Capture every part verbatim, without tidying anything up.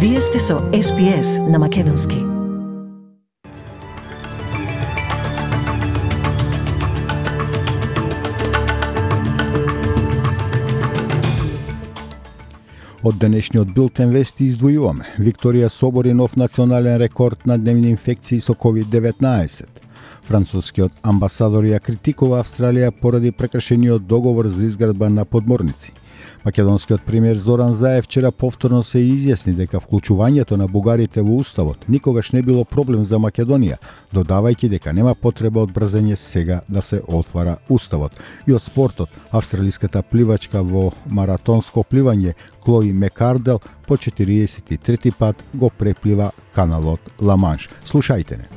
Вие сте со Ес Би Ес на Македонски. Од денешниот билтен вести издвојуваме. Викторија собори нов национален рекорд на дневни инфекции со ковид деветнаесет. Францускиот амбасадор ја критикува Австралија поради прекршениот договор за изградба на подморници. Македонскиот премиер Зоран Заев вчера повторно се изјасни дека вклучувањето на бугарите во уставот никогаш не било проблем за Македонија, додавајќи дека нема потреба од брзање сега да се отвара уставот. И од спортот, австралиската пливачка во маратонско пливање Клои Мекардел по четириесет и трети пат го преплива каналот Ла Манш. Слушајте не.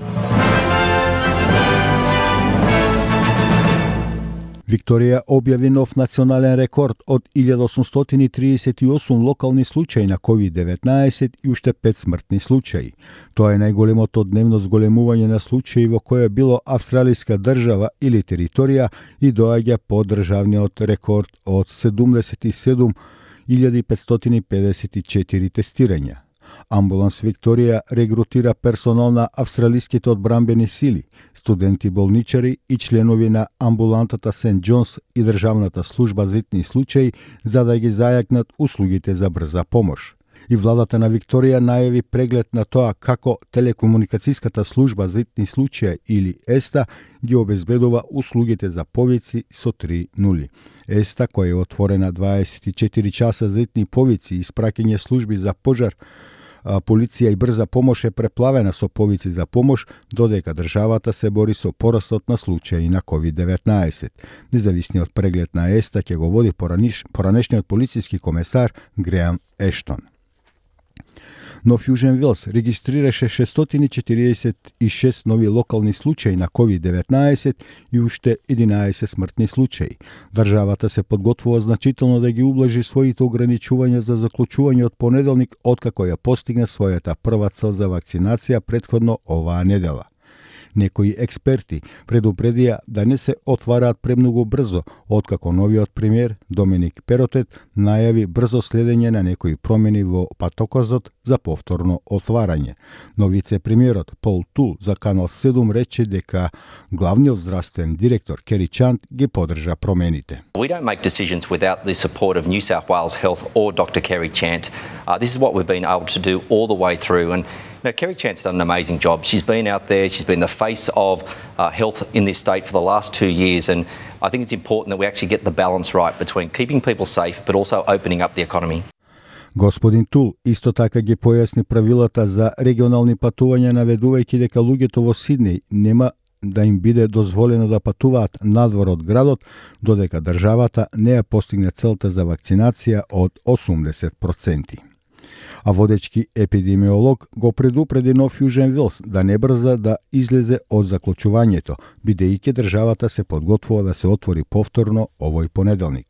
Викторија објави нов национален рекорд од илјада осумстотини и триесет и осум локални случаи на ковид деветнаесет и уште пет смртни случаи. Тоа е најголемото дневно зголемување на случаи во која било австралиска држава или територија и доаѓа по државниот рекорд од седумдесет и седум илјади петстотини педесет и четири тестирања. Амбуланс Викторија регрутира персонал на австралиските одбранбени сили, студенти болничари и членови на амбулантата Сент Џонс и државната служба за итни случаи за да ги зајакнат услугите за брза помош. И владата на Викторија најави преглед на тоа како телекомуникацијската служба за итни случаи или ЕСТА ги обезбедува услугите за повици со три нули. ЕСТА, која е отворена дваесет и четири часа за итни повици и испраќање служби за пожар, полиција и брза помош е преплавена со повици за помош, додека државата се бори со порастот на случаи на ковид деветнаесет. Независниот преглед на ЕСТА ќе го води пораниш, поранешниот полициски комесар Греам Ештон. Нов Јужен Велс регистрираше шестстотини и четириесет и шест нови локални случаи на ковид деветнаесет и уште единаесет смртни случаи. Државата се подготвува значително да ги ублажи своите ограничувања за заклучување од понеделник, откако ја постигна својата прва цел за вакцинација претходно оваа недела. Некои експерти предупредија да не се отвараат премногу брзо, откако новиот премиер Доминик Перотет најави брзо следење на некои промени во патоказот за повторно отварање. Но вице-премиерот Пол Тул за Канал седум рече дека главниот здравствен директор Кери Чант ги поддржа промените. We don't make decisions without the support of New South Wales Health or Doctor Kerry Chant. Uh, this is what we've been able to do all the way through. And you know, Kerry Chant's done an amazing job. She's been out there, she's been the face of uh, health in this state for the last two years. And I think it's important that we actually get the balance right between keeping people safe but also opening up the economy. Господин Тул исто така ги појасни правилата за регионални патувања, наведувајќи дека луѓето во Сиднеј нема да им биде дозволено да патуваат надвор од градот, додека државата не ја постигне целта за вакцинација од осумдесет проценти. А водечки епидемиолог го предупреди Нов Јужен Велс да не брза да излезе од заклучувањето, бидејќи државата се подготвува да се отвори повторно овој понеделник.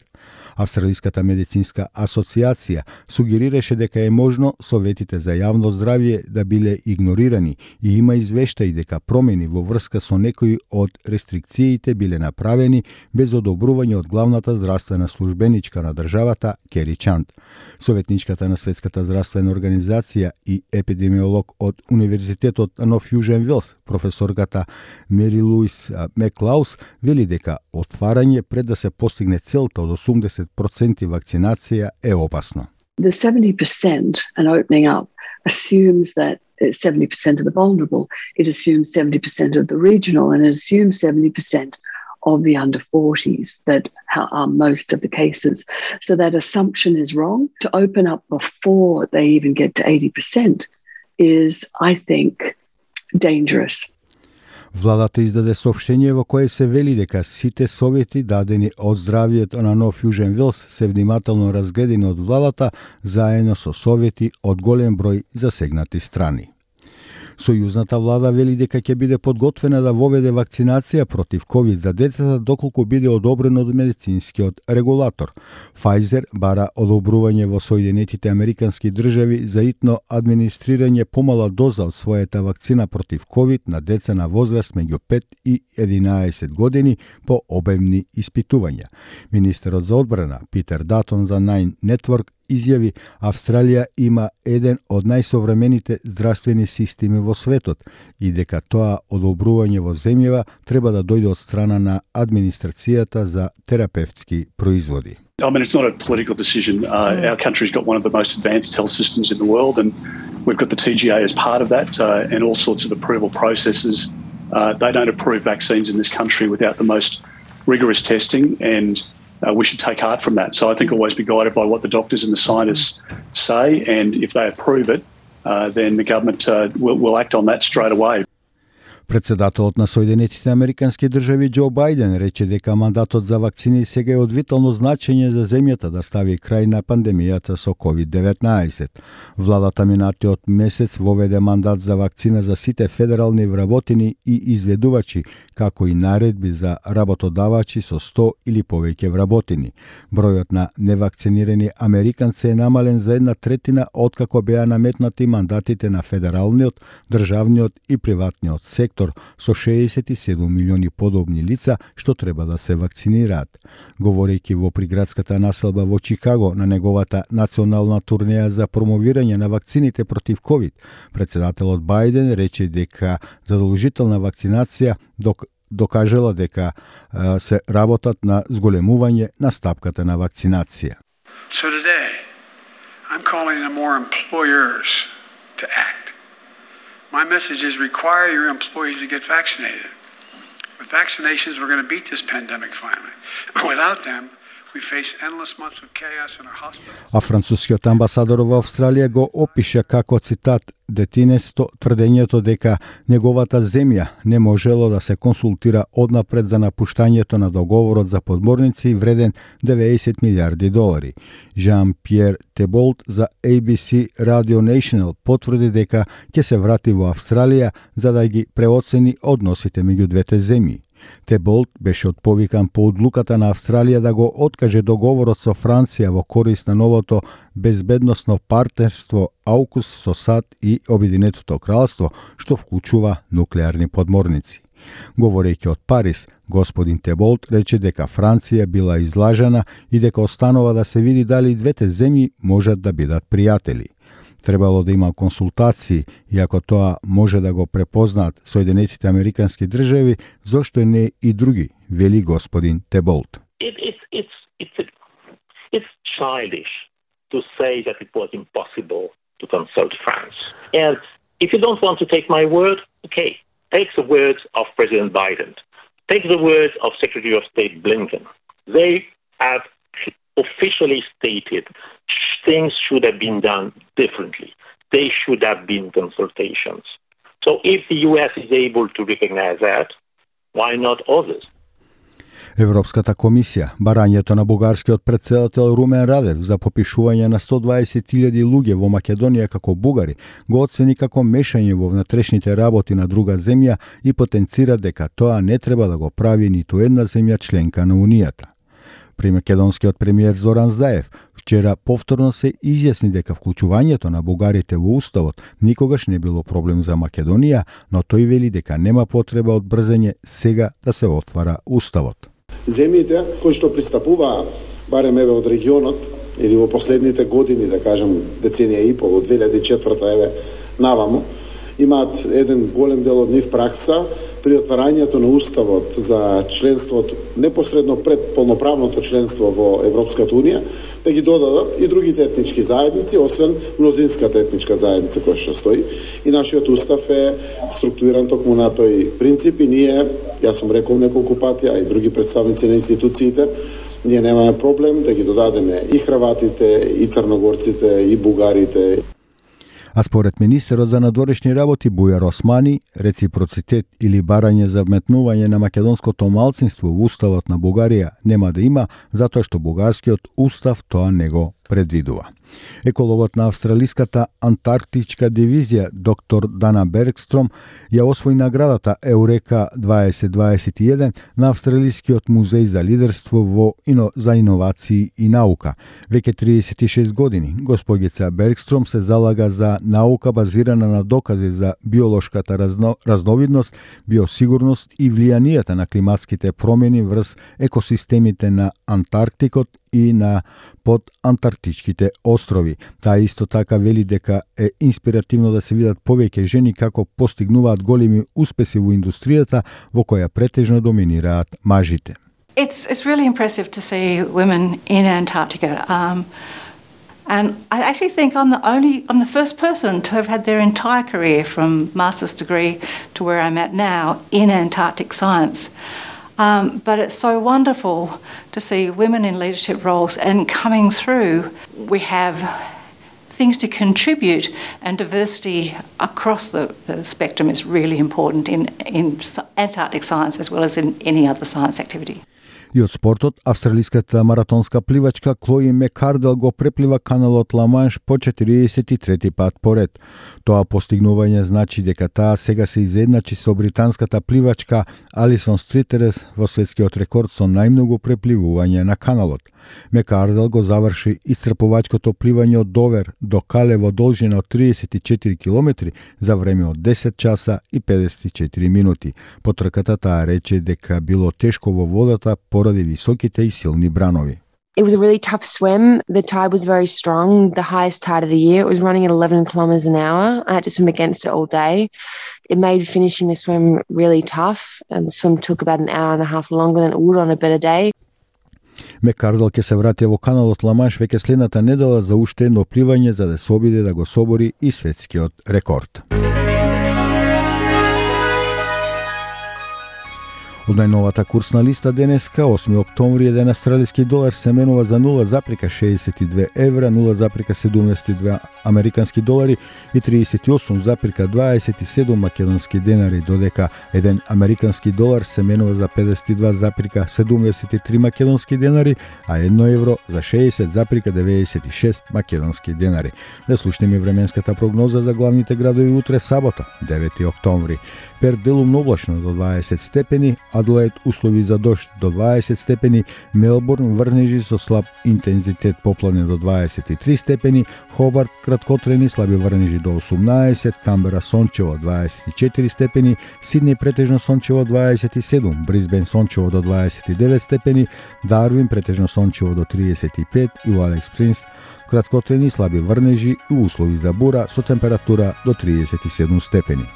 Австралиската медицинска асоциација сугерираше дека е можно советите за јавно здравје да биле игнорирани и има извештаи дека промени во врска со некои од рестрикциите биле направени без одобрување од главната здравствена службеничка на државата Кери Чант. Советничката на Светската здравствена организација и епидемиолог од Универзитетот Нов Јужен Велс, професорката Мери Луис Меклаус, вели дека отварање пред да се постигне целта од осумдесет проценти вакцинација е опасно. The seventy percent and opening up assumes that seventy percent of the vulnerable, it assumes seventy percent of the regional, and it assumes seventy percent of the under forties that are most of the cases. So that assumption is wrong. To open up before they even get to eighty percent is, I think, dangerous. Владата издаде соопштение во кое се вели дека сите совети дадени од здравјето на Нов Јужен Велс се внимателно разгледани од владата заедно со совети од голем број засегнати страни. Сојузната влада вели дека ќе биде подготвена да воведе вакцинација против ковид за децата доколку биде одобрено од медицинскиот регулатор. Pfizer бара одобрување во Соединетите Американски држави за итно администрирање помала доза од својата вакцина против ковид на деца на возраст меѓу пет и единаесет години по обемни испитувања. Министерот за одбрана Питер Датон за Nine Network изјави Австралија има еден од најсовремените здравствени системи во светот и дека тоа одобрување во земјава треба да дојде од страна на администрацијата за терапевтски производи. I mean, it's not a political decision. Uh, our country's got one of the most advanced health systems in the world, and we've got the T G A as part of that, uh, and all sorts of approval processes. Uh, they don't approve vaccines in this country without the most rigorous testing, and uh, we should take heart from that. So I think always be guided by what the doctors and the scientists say, and if they approve it, uh, then the government uh, will, will act on that straight away. Председателот на Соединетите Американски држави Џо Бајден рече дека мандатот за вакцини сега е од витално значење за земјата да стави крај на пандемијата со ковид деветнаесет. Владата минатиот месец воведе мандат за вакцина за сите федерални вработени и изведувачи, како и наредби за работодавачи со сто или повеќе вработени. Бројот на невакцинирани американци е намален за една третина откако беа наметнати мандатите на федералниот, државниот и приватниот сектор со шеесет и седум милиони подобни лица што треба да се вакцинираат. Говорејќи во приградската населба во Чикаго на неговата национална турнеја за промовирање на вакцините против ковид, председателот Бајден рече дека задолжителна вакцинација док докажала дека а, се работат на зголемување на стапката на вакцинација. So today, I'm calling on more employers to act. My message is require your employees to get vaccinated. With vaccinations, we're going to beat this pandemic finally. Without them, we face endless months of chaos in our hospitals. А францускиот амбасадор во Австралија го опиша како цитат детинесто тврдењето дека неговата земја не можело да се консултира однапред за напуштањето на договорот за подморници вреден деветдесет милиарди долари. Жан-Пьер Теболт за A B C Radio National потврди дека ќе се врати во Австралија за да ги преоцени односите меѓу двете земји. Теболт беше отповикан по одлуката на Австралија да го откаже договорот со Франција во корист на новото безбедносно партнерство Аукус со САД и Обединетото кралство, што вклучува нуклеарни подморници. Говорејќи од Париз, господин Теболт рече дека Франција била излажена и дека останува да се види дали двете земји можат да бидат пријатели. Требало да има консултации, и ако тоа може да го препознаат Соединетите Американски држави, зошто не и други, вели господин Теболт. It, it's, it's, it's, it's childish to say that it was impossible to consult France. And if you don't want to take my word, okay, take the words of President Biden. Take the words of Secretary of State Blinken. They have officially stated things should have been done differently. They should have been consultations. So if the U S is able to recognize that, why not others? Европската комисија, барањето на бугарскиот претседател Румен Радев за попишување на сто дваесет илјади луѓе во Македонија како бугари, го оцени како мешање во внатрешните работи на друга земја и потенцира дека тоа не треба да го прави ниту една земја членка на Унијата. При македонскиот премиер Зоран Заев вчера повторно се изјасни дека вклучувањето на бугарите во уставот никогаш не било проблем за Македонија, но тој вели дека нема потреба од брзење сега да се отвара уставот. Земјите кои што пристапуваа, барем еве од регионот, или во последните години, да кажем деценија и пол, од две илјади и четврта еве наваму, имаат еден голем дел од нив пракса при отварањето на уставот за членството, непосредно пред полноправното членство во Европската Унија, да ги додадат и другите етнички заедници, освен мнозинската етничка заедница која што стои. И нашиот устав е структуриран токму на тој принцип и ние, јас сум рекол неколку пати, а и други представници на институциите, ние немаме проблем да ги додадеме и хрватите, и црногорците, и бугарите. А според министерот за надворешни работи Бујар Османи, реципроцитет или барање за вметнување на македонското малцинство во уставот на Бугарија нема да има, затоа што бугарскиот устав тоа не го предвидува. Екологот на австралиската антарктичка дивизија доктор Дана Бергстром ја освои наградата Еурека дваесет дваесет и еден на Австралискиот музеј за лидерство во ино, за иновации и наука. Веќе триесет и шест години госпогица Бергстром се залага за наука базирана на докази за биолошката разно, разновидност, биосигурност и влијанието на климатските промени врз екосистемите на Антарктикот и на под Антар... Арктичките острови. Таа исто така вели дека е инспиративно да се видат повеќе жени како постигнуваат големи успеси во индустријата во која претежно доминираат мажите. It's it's really impressive to see women in Antarctica. Um, and I actually think I'm the only, I'm the first person to have had their entire career from master's degree to where I'm at now in Antarctic science. Um, but it's so wonderful to see women in leadership roles and coming through. We have things to contribute, and diversity across the, the spectrum is really important in, in Antarctic science as well as in any other science activity. И од спортот, австралиската маратонска пливачка Клои Мекардел го преплива каналот Ла-Манш по четириесет и трети пат поред. Тоа постигнување значи дека таа сега се изедначи со британската пливачка Алисон Стритерес во светскиот рекорд со најмногу препливување на каналот. Мекардел го заврши исцрпувачкото пливање од Довер до Кале во должина од триесет и четири километри за време од десет часа и педесет и четири минути. По трката таа рече дека било тешко во водата поради високите и силни бранови. It was a really tough swim. The tide was very strong, the highest tide of the year. It was running at eleven kilometres an hour. I had to swim against it all day. It made finishing the swim really tough, and the swim took about an hour and a half longer than it would on a better day. Мекардел ќе се врати во каналот Ла-Манш веќе следната недела за уште едно пливање за да се обиде да го собори и светскиот рекорд. Од најновата курсна листа денеска, осми октомври, еден австралиски долар се менува за нула запирка шеесет и две евра, нула запирка седумдесет и две американски долари и триесет и осум запирка дваесет и седум македонски денари, додека еден американски долар се менува за педесет и два запирка седумдесет и три македонски денари, а едно евро за шеесет запирка деветдесет и шест македонски денари. Да слушнеме временската прогноза за главните градови утре сабота, девети октомври. Перт делумно облачно до дваесет степени, Адлаид услови за дожд до дваесет степени, Мелбурн врнежи со слаб интензитет поплане до дваесет и три степени, Хобарт краткотрени слаби врнежи до осумнаесет, Камбера сончево дваесет и четири степени, Сиднеј претежно сончево дваесет и седум, Брисбен сончево до дваесет и девет степени, Дарвин претежно сончево до триесет и пет и во Алекс Принс краткотрени слаби врнежи и услови за бура со температура до триесет и седум степени.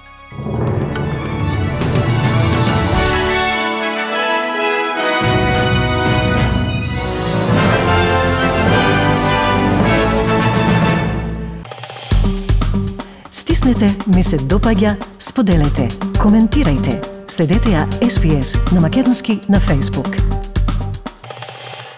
Стиснете, ми се допаѓа, споделете, коментирајте. Следете ја Ес Би Ес на македонски на Facebook.